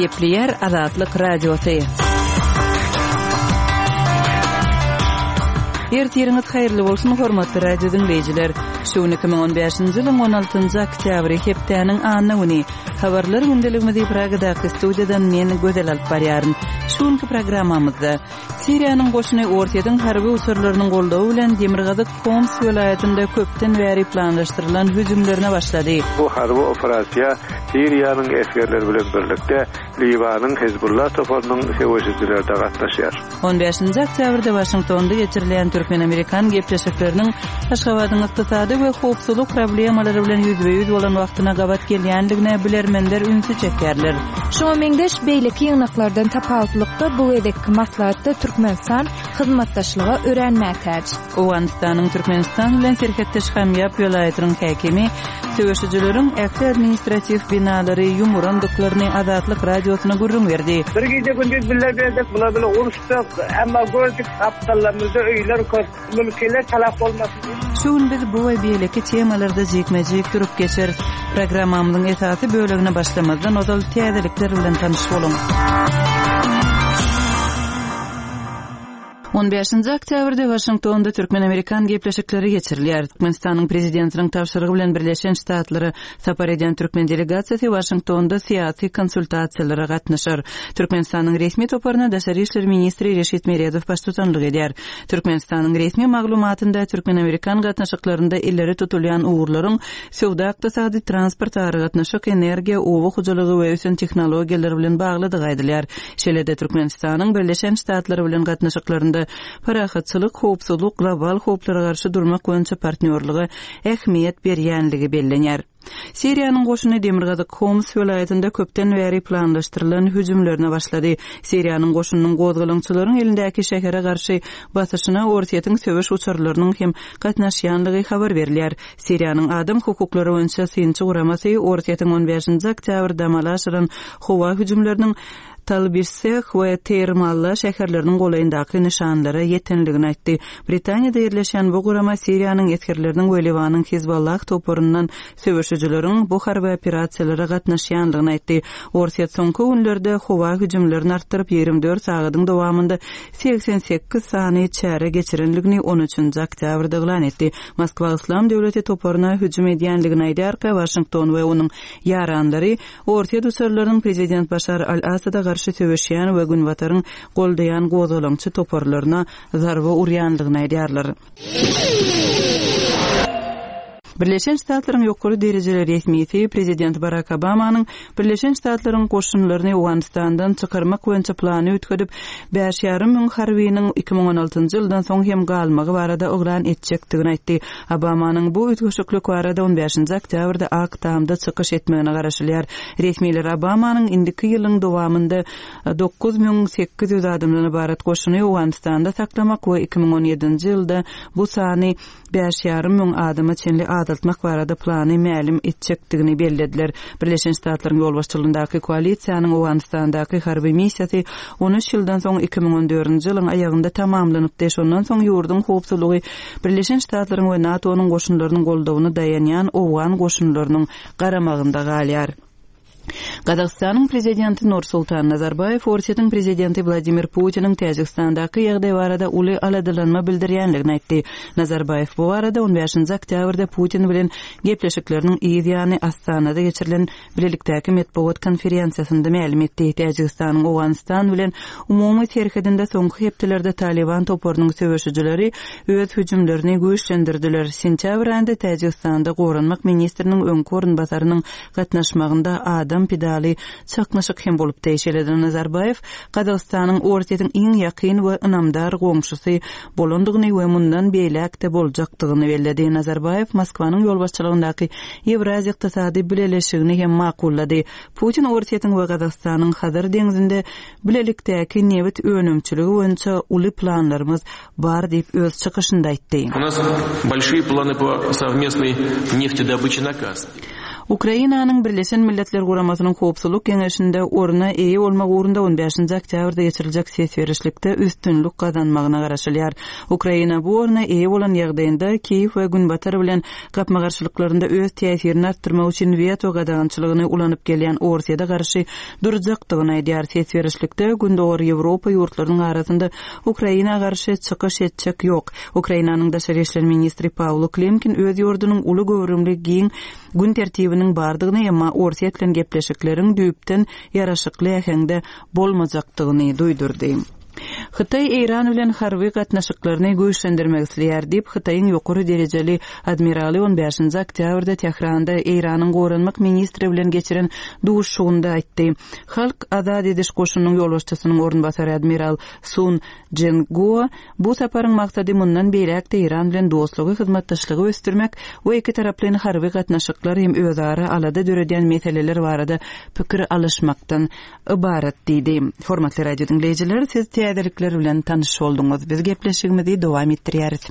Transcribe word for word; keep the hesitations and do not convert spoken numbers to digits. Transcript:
Gepleýär Azatlyk Radiosy. Ertiriňiz haýyrly bolsun, hormatly radio diňleýjiler. Şu gün iki müň on bäşinji ýylyň on altynjy oktýabry, hepdäniň anna güni. Habarlar gündeligimizi Pragadaky studiýadan men Gözel alyp barýaryn. Şu günki programmamyzda Siriýanyň goşuny Orsýetiň harby uçarlarynyň goldawy bilen demirgazyk Homs welaýatynda köpden bäri planlaşdyrylan hüjümlerine başlady. Bu harby operasiýa Siriýanyň esgerleri bilen birlikde Liwanyň Hezbollah toparynyň söweşijileri de gatnaşýar. On bäşinji oktýabrda Waşingtonda geçirilýän türkmen-amerikan gepleşikleriniň Aşgabadyň ykdysady we howpsuzlyk problemalary bilen ýüzbe-ýüz bolan wagtyna gabat gelýändigine bilermenler ünsi çekýärler. Şuňa meňzeş beýleki ýygnaklardan tapawutlykda bu gezekki maslahatda Türkmenistan hyzmatdaşlyga örän mätäç. Owganystanyň Türkmenistan bilen serhetdeş Hamýap welaýatynyň häkimi söweşijileriň ähli administratiw binalary ýumurandyklaryny Azatlyk radiosyna gürrüň berdi. Bir gije gündüz bile berdik, bula bile uruşdyk, emma gördük gapdallarymyzda öýler köp, mülkiler talap bolmasyn. Şu gün biz bu we beýleki temalarda jikme-jik durup geçeris. Programmamyzyň esasy bölegine başlamazdan ozal täzelikler bilen tanyş boluň. On bäşinji oktýabrda Waşingtonda türkmen-amerikan gepleşikleri geçirilýär. Türkmenistanyň prezidentiniň tabşyrygy bilen Birleşen Ştatlara sapar edýän türkmen delegasiýasy Waşingtonda syýasy konsultasiýalara gatnaşar. Türkmenistanyň resmi toparyna Daşary işler ministri Reşit Meredow baştutanlyk edýär. Türkmenistanyň resmi maglumatynda türkmen-amerikan gatnaşyklarynda ileri tutulýan ugurlaryň söwda-ykdysady, transport, aragatnaşyk, energiýa, oba hojalygy we ösen tehnologiýalar bilen baglydygy aýdylýar. Şeýle-de Türkmenistanyň Birleşen Ştatlary bilen gatnaşyklarynda parahatçylyk, howpsuzlyk, global howplara garşy durmak boýunça partnýorlyga ähmiýet berýänligi bellenýär. Siriýanyň goşuny demirgazyk Homs welaýatynda köpden bäri planlaşdyrylan hüjümlerine başlady. Siriýanyň goşunynyň gozgalaňçylaryň elindäki şähere garşy basyşyna Orsýetiň söweş uçarlarynyň hem gatnaşýanlygy habar berilýär. Siriýanyň adam hukuklary boýunça synçy guramasy Orsýetiň on bäşinji oktýabrda amala aşyran howa hüjümleriniň Talbiseh we Teýrmalla şäherleriniň golaýyndaky nyşanlara ýetenligini aýtdy. Britaniýada ýerleşen bu gurama Siriýanyň esgerleriniň we Liwanyň Hizbollah toparyndan söweşijileriň bu harby operasiýalara gatnaşýanlygyny aýtdy. Orsýet soňky günlerde howa hüjümlerini artdyryp ýigrimi dört sagadyň dowamynda segsen sekiz sany çäre geçirenligini on üçünji oktýabrda yglan etdi. Moskwa Islam döwleti toparyna hüjüm edýänligini aýdarka Waşington we onuň ýaranlary Orsýet uçarlarynyň prezident Başar al-Asada garşy söweşýän we Günbataryň goldaýan gozgalaňçy toparlaryna zarba urýanlygyny aýdýarlar. Birleşen Ştatlaryň ýokary derejeli resmisi prezident Barack Obamanyň Birleşen Ştatlaryň goşunlaryny Owganystandan çykarmak boýunça plany üýtgedip, bäş ýarym müň harbynyň iki müň on altynjy ýyldan soň hem galmagy barada yglan etjekdigini aýtdy. Obamanyň bu üýtgeşiklik barada on bäşinji oktýabrda Ak Tamda çykyş etmegine garaşylýar. Resmiler Obamanyň indiki ýylyň dowamynda dokuz müň sekiz ýüz adamdan ybarat goşuny Owganystanda saklamak we iki müň on ýedinji ýylda bu sany bäş ýarym müň adama çenli azaltmak barada plany mälim etjekdigini bellediler. Birleşen Ştatlaryň ýolbaşçylygyndaky koalisiýanyň Owganystandaky harby missiýasy on üç ýyldan soň iki müň on dördünji ýylyň aýagynda tamamlanypdy. Şondan soň ýurduň howpsuzlygy Birleşen Ştatlaryň we NATO-nyň goşunlarynyň goldawyna daýanýan Owgan goşunlarynyň garamagynda galýar. Gazagystanyň prezidenti Nursultan Nazarbaýew Orsýetiň prezidenti Wladimir Putiniň Täjigistandaky ýagdaý barada uly aladalanma bildirýänligini aýtdy. Nazarbaýew bu barada on bäşinji oktýabrda Putin bilen gepleşikleriniň yz ýany Astanada geçirilen bilelikdäki metbugat konferensiýasynda mälim etdi. Täjigistanyň Owganystan bilen umumy serhedinde soňky hepdelerde Taliban toparynyň söweşijileri öz hüjümlerini güýçlendirdiler. Sentýabr aýynda Täjigistanda goranmak ministriniň öňki orunbasarynyň gatnaşmagynda adam pidaly çaknyşyk hem bolupdy. Şeýle-de Nazarbaýew Gazagystanyň Orsýetiň iň ýakyn we ynamdar goňşusy bolandygyny we mundan beýläk-de boljakdygyny belledi. Nazarbaýew Moskwanyň ýolbaşçylygyndaky Ýewraziýa ykdysady bileleşigini hem makullady. Putin Orsýetiň we Gazagystanyň Hazar deňzinde bilelikdäki nebit önümçiligi boýunça uly planlarymyz bar diýip öz çykyşynda aýtdy. У нас большие планы по совместной нефтедобыче на Каспии. Ukrainanyň Birleşen Milletler Guramasynyň Howpsuzlyk Geňeşinde orna eýe bolmak ugrunda on bäşinji oktýabrda geçiriljek ses berişlikde üstünlik gazanmagyna garaşylýar. Ukraina bu orna eýe bolan ýagdaýynda Kiýew we Günbatar bilen gapma-garşylyklarynda öz täsirini artdyrmak üçin weto gadagançylygyny ulanyp gelýän Orsýete garşy durjakdygyny aýdýar. Ses berişlikde Gündogar Ýewropa ýurtlarynyň arasynda Ukraina garşy çykyş etjek ýok. Ukrainanyň daşary işler ministri Pawlo Klimkin öz ýurdunyň uly göwrümli giň gün tertibiniň bardygyny, emma Orsýet bilen gepleşikleriň düýpden ýaraşykly äheňde bolmajakdygyny duýdurdy. Hytaý Eýran bilen harby gatnaşyklaryny güýçlendirmek isleýär diýip, Hytaýyň ýokary derejeli admiraly on bäşinji oktýabrda Tähranda Eýranyň goranmak ministri bilen geçiren duşuşygynda aýtdy. Halk Azat ediş goşunynyň ýolbaşçysynyň orunbasary admiral Sun Jenguo bu saparyň maksady mundan beýläk-de Eýran bilen dostlugy, hyzmatdaşlygy ösdürmek we iki taraplaýyn harby gatnaşyklar hem özara alada döredýän meseleler barada pikir alyşmakdan ybarat diýdi. Hormatly radio diňleýjiler, siz täzelikler bilen tanyş bolduňyz. Biz gepleşigimizi dowam etdirýäris.